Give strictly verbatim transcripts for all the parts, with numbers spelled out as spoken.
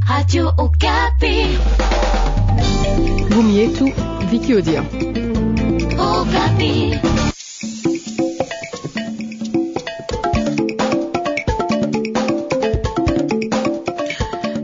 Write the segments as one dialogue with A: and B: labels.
A: Radio Okapi.
B: Ngumi yetu Viki Odia.
A: Okapi.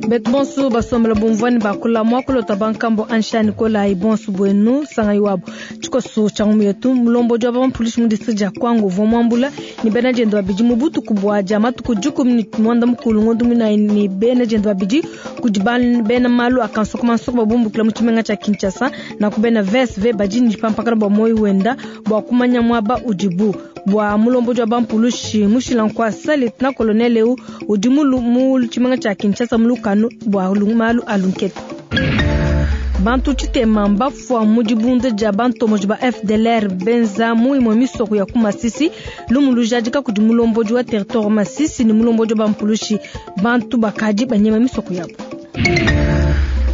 C: Betu bonso basombela bumvwani bakula mwakulota bankambo anshani kola bonso bwenu sanga iwabo tshikoso tsha ngumi yetu mulombodi wa bampulishi mu district dia kwango uvua muambula ni bena diende babidi mu butuku bua dia matuku dikumi ni muanda mukulu ngondo muinayi ni bena diende babidi kudi bena malu a kansokomansoko babumbukila mu tshimenga tshia Kinshasa na ku bena V S V badi ni dipampakana bua moyi wenda bua kumanya muaba udibu bua mulombodi wa bampulushi mushila nkwasa lieutenant colonel eu udi mu tshimenga tshia Kinshasa mu lukanu bua malu a lunketa. Bantu tshitema mbafua mu dibunda dia bantomoji ba F D L R benza mu imue misoko ya ku Masisi lumu lujadika kudi mulombodi wa territoire Masisi ni mulombodi wa bampulushi bantu bakadi banyema misoko yabo.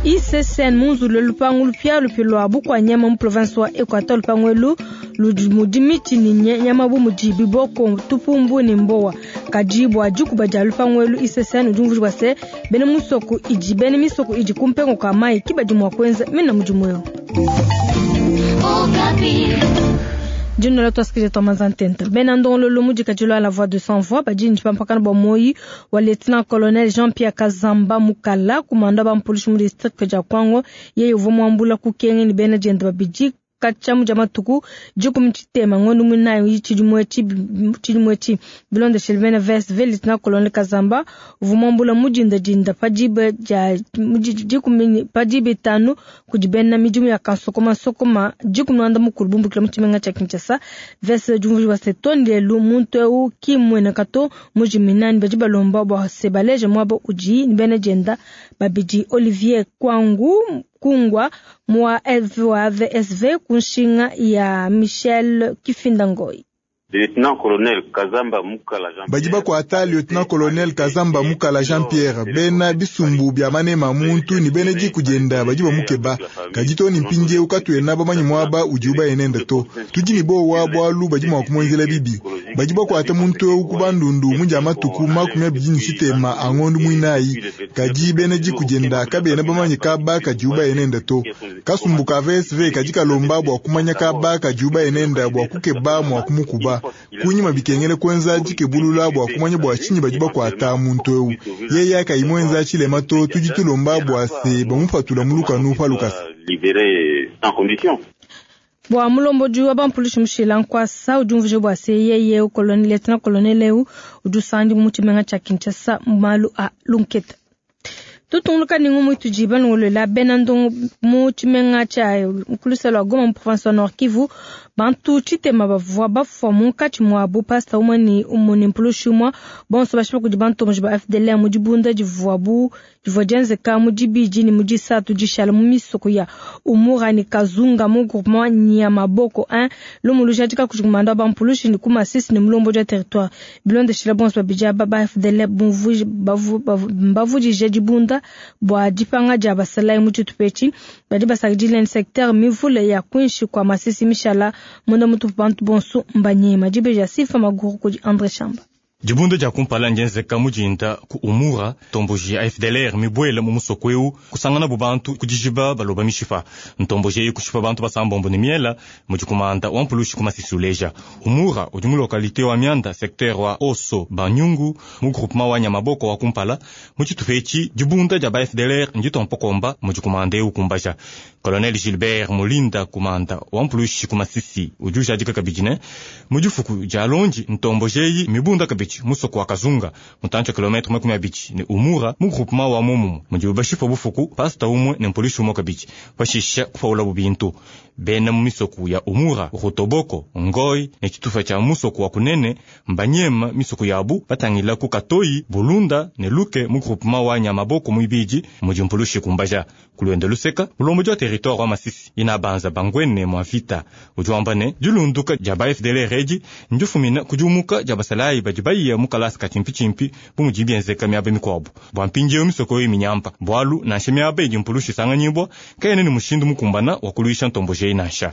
C: I C C N munzulu lupangu lupia lupi lwa bukwa nyama mu province wa Equateur lupangu elu ludi mudi miti ni nyama bu mudi biboko tupumbu ni mbowa kadi bua dikuba dia lupangu elu I C C N udi umvuija bua se bena musoko idi bena misoko idi kumpengo ka mai kibadi mua kuenza mina mudimu eu. Dino la toasikile twa manzantenta bena ndongolo lumu dikadilo à la voix de sans voix badi ni pampakana bua moyi wa lieutenant colonel Jean-Pierre Kazamba Mukala kumanda ba mpolisi mu district dia Kwango yeye uvua muambula kukenge ni bena diende babidi katshia mu dia matuku dikumi tshitema ngondo muinayi tshidimu etshi tshidimu etshi bilondeshile bena V S V lieutenant colonel Kazamba uvua muambula mu dindadinda pa diba dia dikumi pa diba itanu kudi bena midimu ya kansokomansokoma dikumi muanda mukulu bumbukila mu tshimenga tshia Kinshasa V S V diumvuija bua se too lelu muntu eu ki mmueneka to mujiminani badi balomba bua se baleje muaba udi ni bena dienda babidi Olivier Kwangu Kungwa mwa V S V kunshinga ya Michel Kifindangoi.
D: Lieutenant-Colonel Kazamba Mukala Jean-Pierre
E: Badi bakwata Lieutenant-Colonel Kazamba Mukala Jean-Pierre bena bisumbu bya manema muntu ni bene dikujenda badi bamukeba kadi to ni mpindiewu katuena bamanyi muaba udi ubayenenda to tudi ni bowa bwalu badi mua kumwenzela bibi badi bakwata muntu eu ku bandundu mu dia matuku makumi abidi ni tshitema a ngondu muinayi kadi bene dikujenda kabena bamanyi kaba kadi ubayenenda to kasumbu ka V S V kadi kalomba bua kumanya kaba kadi ubayenenda bua kukeba mua kumukuba kunyima bikengele kwenza dikebulula bua kumanya bua tshinyi badi bakwata muntu eu yeye akayimwenza tshilema to tudi tulomba bua se bamupatula mu lukanu pa lukasa.
C: Bua mulombodi wa bampulishi mushila nkwasa udi umvuija bua se yeye colonel lieutenant colonel eu udi usandi mu tshimenga tshia Kinshasa malu a lunketa. Tutunguluka ni ngumu itudi balongolola bena ndongo mu tshimenga tshia nkuluselo wa Goma mu province wa Nord Kivu bantu tshitema bavua bafua munkatshi muabu pasta umue ni umue ni mpulushi umue bonso bashipa kudi bantomoji ba F D L R mu dibunda divuabu divua dienzeka mu dibidi ni mu disatu dishala mu misoko ya Umura ni Kazunga mu groupement Nyamaboko un lumu lujadika kudi kumanda wa bampulushi ni ku Masisi ni mulombodi wa territoire bilondeshile bonso babidi aba ba F D L R mbavudije dibunda bua dipanga dia basalayi mu tshitupa badi basakidile ni secteur mivule ya kwinshi kwa Masisi mishala munda mutupu bantu bonso mbanyema dibeja sifa maguru kudi André Chamba.
F: Dibunda dia kumpala ndienzeka mudinda ku Umura ntomboji ya F D L R mibwele mu musoko eu kusangana bu bantu kudijiba baloba mishipa ntomboji eyi kushipa bantu basambombo ne miela mudi kumanda wa mpulushi ku Masisi uleja Umura udi mu localité wa Mianda secteur wa Oso Banyungu mu groupement wa Nyamaboko wa kumpala mu tshitupa etshi dibunda dia ba F D L R nditompokomba mudi kumanda eu kumbaja Colonel Gilbert Mulinda kumanda wa mpulushi ku Masisi udi ujadika kabidi ne mu difuku dia lonji ntomboji eyi mibunda kabidi musoko wa Kazunga mutantsha kilometre makumi abidi ne Umura mu groupement wa Momumu mudi bashipa bufuku pasta umwe ne mpolisi umwe kabidi pashisha kupaula bubintu bena mu misoko ya Umura Rutoboko Ngoi ne tshitufa tshia musoko wa Kunene mbanyema misoko yabu batangila ku Katoyi Bulunda ne Luke mu groupement wa Nyamaboko muibidi mudi mpulushi kumbaja kulwenda luseka mulombodi wa territoire wa Masisi ina banza bangwene mwa vita udi wamba ne dilunduka dia ba F D L R edi ndifumina kudiumuka dia basalayi badi bayiya mu kalasa ka tshimpi-tshimpi bu mudi bienzeka miaba mikuabu bua mpindiewu misoko eyi minyampa bualu nansha miaba idi mpulushi isanganyibua kayena ne mushindu mukumbana wa kuluisha ntomboji eyi nansha.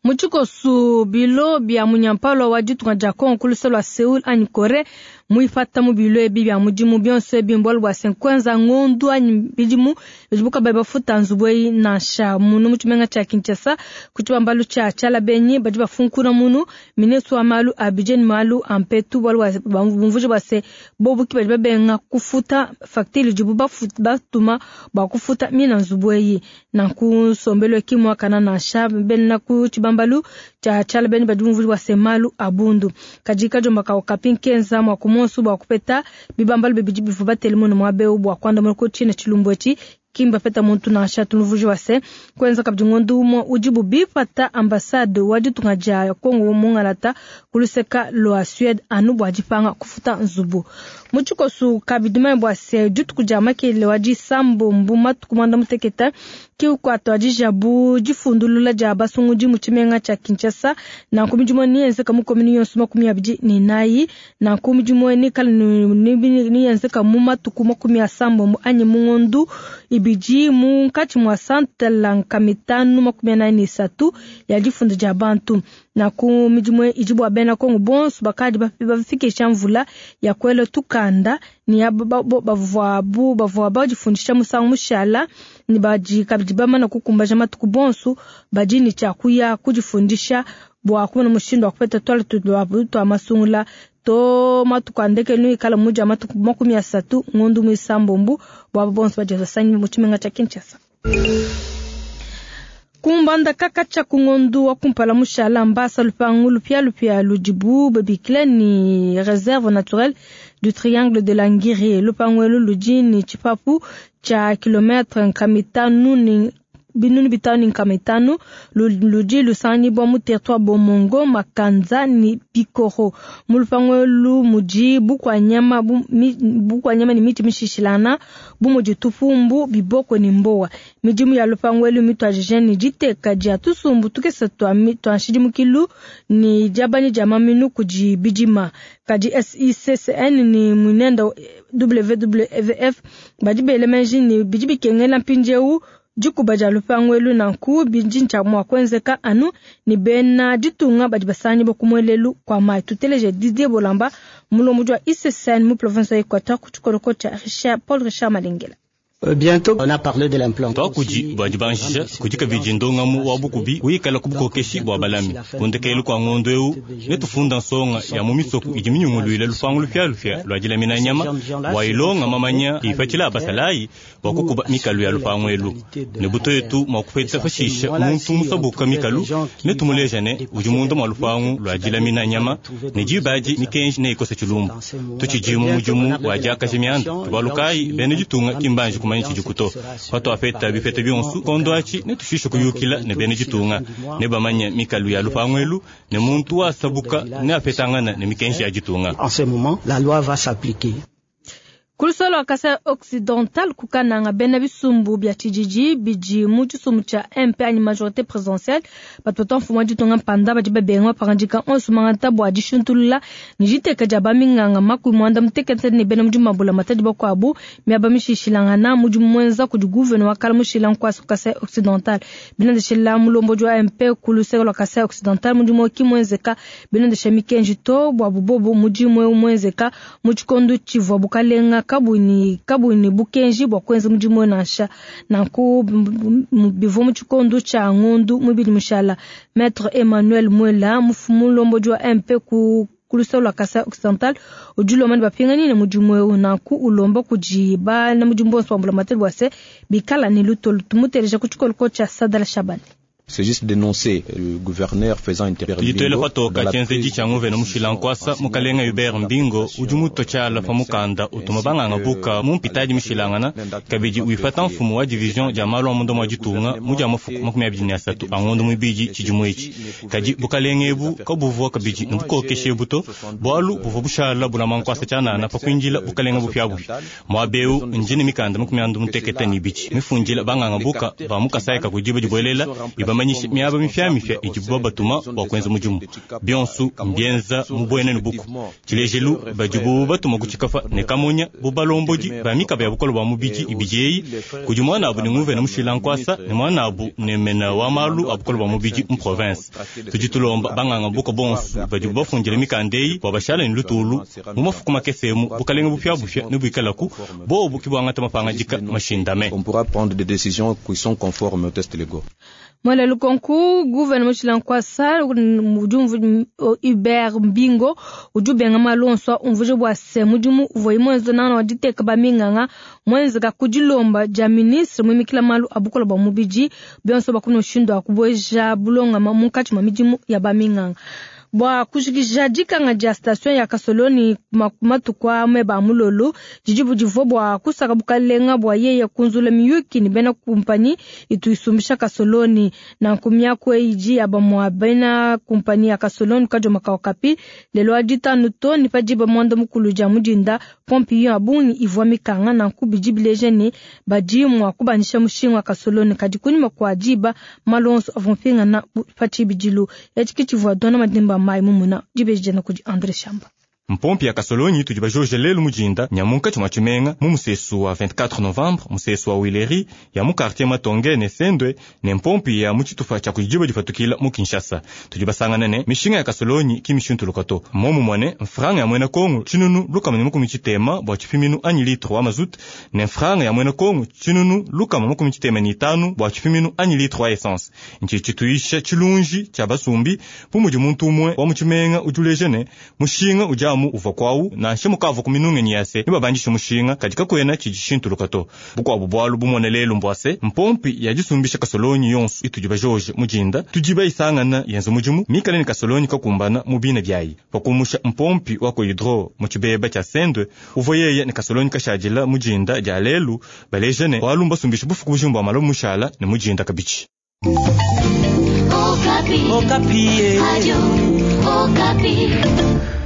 C: Mu tshikoso bilo bia munyampalo wa ditunga dia Kongo ku luseke lua Seoul anyi Corée Muipata mu bilo ebi bia mudimu bionso ebi mbualu bua se kuenza ngondu anyi bidimu bidibu kabayi bafuta nzubu eyi nansha. Munu mu tshimenga tshia Kinshasa ku tshibambalu tshia Tshialabenyi badi bafunkuna munu ministre wa malu a budget ne malu a mpetu bualu bua bumvuije bua se bobu ki badi babenga kufuta facture idibu batuma bua kufuta mina nzubu eyi. Nanku nsombelu ki muakana nansha bena ku tshibambalu tshia Tshialabenyi badi bumvuije bua se malu a bundu. Kadi kajomba ka Okapi nkenza mua kumonsu bua kupeta bibambalu bibidi bivua batele munu muaba eu bua kuandamuna ku tshina tshilumbu etshi kimba peta muntu nansha. Tunuvuji wa se kuenza kabidi ngondu umue udibu bipata ambassade wa ditunga dia Kongo mungalata kuluseka lua Suède anu bua dipanga kufuta nzubu. Mu tshikosu kabidi manya bua se dituku dia makele wa disambombo matuku mwanda mutekete ki kuatuadija bu difundulula dia basungudi mu tshimenga tshia Kinshasa. Nanku midimu niyenzeka mu komini yonso makumi abidi ne nayi. Nanku midimu nikala niyenzeka mu matuku makumi asambombo anyi mu ngondu ibidi munkatshi mua santala nkamitanu makumi anayi ne isatu ya difunda dia bantu. Nanku midimu idi bua bena Kongo bonso bakadi bafikisha mvula ya kuela tukanda ni bavuabu bavua badifundisha musangu mushala ni badi kabidi bamana kukumbaja matuku bonso badi ni tshia kuya kudifundisha bua kumona mushindu wa kupeta twala twa masungula to matuku andekelu ikala muja matuku makumi asatu ngondu muisambombo bua bonso badi basangi mu tshimenga tshia Kinshasa. Kumbanda kaka tshia kungondu wa kumpala mushala mbasa lupangu lupia lupia ludibu babikile ni réserve naturelle du triangle de la Ngiri. Lupangu elu ludi ni tshipapu tshia kilometre nkamitanu ni binunu bitanu ni nkamitanu ludi lusangibwa mu territoire Bomongo Makanza ni Bikoro. Mu lupangu elu mudi bukwanyama bu, bukwanyama ni miti mishishilana bu mudi tupumbu biboko ni mbowa. Midimu ya lupangu elu mitwajije ni diteka dia tusumbu tukese twa twa nshidimukilu ni diabani dia maminu kudi bidima. Kadi S I C C N ni munenda W W F badi bele menji ni bidi bikengela mpindieu dikuba dia lupangu elu nanku bidi ntshia mua kuenzeka anu ni bena ditunga badi basanyi bakumwelelu kwa mai. Tuteleje Didier Bolamba mulombodi wa I C C N mu province ya Equateur ku tshikoloko tshia Richard Paul Richard Malengela.
G: Bientôt, on a parlé de l'implantation.
F: Twakudi bua dibanjisha kudi kabidi ndongamu wa bukubi wikala ku bukokeshi bua balami. Kundekelu kua ngondo eu netufunda nsonga ya mu misoko idi minyunguluile lupangu lupialupia lua dilamina nyama bua ilonga mamanya ipatshila abasalayi bua kukuba mikalu ya lupangu elu. Ne buto yetu mua kupeta pashisha muntu musabuka mikalu netumuleja ne udi munda mua lupangu lua dilamina nyama ne dibadi mikenji neikose tshilumbu. Tutshidi mu mudimu wa diakaja mianda tubalukayi bena ditunga kimbanji kumanya tshidikuto. Patwapeta bipeta bionso kondo achi netushishe kuyukila ne bena ditunga ne bamanya mikalu ya lupangu elu ne muntu wasabuka ne apetangana ne mikenji ya ditunga.
G: En ce moment, la loi va s'appliquer.
C: Kulusolo wa Kasai Occidental kukananga bena bisumbu bia tshijiji bidi mu tshisumbu tshia M P anyi majorité présidentielle batu mfumu wa ditunga mpanda badi babenga pangandika onso mangata bua dishuntulula ni diteka dia baminganga makumi muanda mutekete ne bena mudimu mabula matadi bakuabu miaba mishishilangana mudimu mwenza kudi gouverneur wa kala mushila nkwasa Kasai Occidental binandeshela mulombodi wa M P kuluseko lwa Kasai Occidental mudimu ki mwenzeka binandesha mikenji to bua bubobo mudimu eu mwenzeka mu tshikondo tshivua bukalenga kabuni kabuni bukenji bua kuenza mudimu nansha nanku bivua mu tshikondo tshia ngondu mubili mushala. Maître Emmanuel Mwela mufumu mulombodi wa M P ku kulusolo lwa Kasai Occidental udi ulomba ne bapingani ne mudimu eu nanku ulomba kudi bana mudimu bonso bambula mateli bua se bikala ne lutolu. Tumuteleja ku tshikoloko tshia Sadala Shabani.
H: C'est juste dénoncer le gouverneur faisant intervenir.
F: Ditwele patoka tshienzedi tshia nguvena mushila nkwasa mukalenga Hubert Mbingo udi muto tshiala pa mukanda utuma banganga buka mu mpitadi mishilangana kabidi wifata mfumu wa division dia malu a munda mua ditunga mu dia mafuku makumi abidi ne asatu a ngondo muibidi tshidimu etshi. Kadi bukalenga ebu kabuvua kabidi ne bukokeshe ebu to bualu buvua bushala bulama nkwasa tshianana pa kuindila bukalenga bupiabupia. Muaba eu ndi ne mikanda makumi andu mutekete ne ibidi mifundila banganga buka ba mu Kasai ka kudiba dibuelela ibama bamanyishe miaba mifiamifia idibu babatuma bua kuenza mudimu. Bionso mbienza mu buena ne buku. Tshilejelu badibu batuma ku tshikafa ne kamonya bu balombodi ba mikaba ya bukole bua mubidi ibidi eyi kudi muanabu ne nguvena mushila nkwasa ne muanabu ne mena wa malu a bukole bua mubidi mu province. Tudi tulomba banganga buko bonso badibu bafundile mikanda eyi bua bashala ne lutulu mu mafuku makese emu bukalenge bupiabupia ne buikalaku bobu ke buangata mapangadika mashindame.
H: On pourra prendre des décisions qui sont conformes aux textes légaux.
C: Mwele lukonku guverneur mushila nkwasa udi Hubert Mbingo udi ubenga malu onso umvuje bua se mudimu uvua mwenza nana wa diteka ba minganga mwenzeka ku dilomba dia ministre muimikila malu a bukole bua mubidi bionso bakuna mushindu wa kubueja bulongama munkatshi mua midimu ya ba minganga. Bua kujikija dikanga dia station ya Kasoloni matuku a meba mulolo didi budivua bua kusaka bukalenga bua yeye kunzula miyuki ni bena kumpanyi itu isumbisha Kasoloni na nkumya eyi ya bamwa bena kumpanyi ya Kasoloni kajoma kapi lelo aditanu to ni padiba mwanda mukulu dia mudinda pompi ya bungi ivua mikanga na nkubidi bileje ni badi mwa kubanisha mushinga wa Kasoloni kadi kunyuma kwa diba malonso avumpinga na pachibidilu echikitshivu dona madimba mai mumuna dibejena kudi André Shamba.
F: Mpompi ya Kasolonyi tudi bajoje lelu mujinda nyamunka tshimua tshimenga mu musesu wa vingt-quatre novembre musesu wa Wileri ya mu quartier Matonge ne Sendwe ne mpompi ya mu tshitupa tshia kudiba dipatukila mu Kinshasa. Tudi basangana ne mishinga ya Kasolonyi ki mishuntuluka to momu mwane mfranga ya mwena Kongo tshinunu lukama ne makumi tshitema bua tshipiminu anyi litre wa mazout ne mfranga ya mwena Kongo tshinunu lukama makumi tshitema ne itanu bua tshipiminu anyi litre wa essence. Nchi tshituisha tshilunji tshia basumbi bu mudi muntu umue wa mu tshimenga udiuleje ne mushinga ujamu uva kwawu nansha mukava ku minungenyi yase ne babandisha mushinga kadi kakwena tshidishintuluka to. Bukwabu bwalu bumone lelu mbwase mpompi ya disumbisha Kasolonyi yonso itudi bajoje mujinda tudi bayisangana yenza mudimu mikale ne Kasolonyi kakumbana mu bina byayi pakumusha mpompi wa ku hydro mu tshibeba tshia Sendwe uvua yeye ne Kasolonyi kashadila mujinda dia lelu baleje ne walu mbasumbisha bufuku bujimbu bua malo mushala ne mujinda kabichi.
A: Okapi. Okapi. Radio Okapi.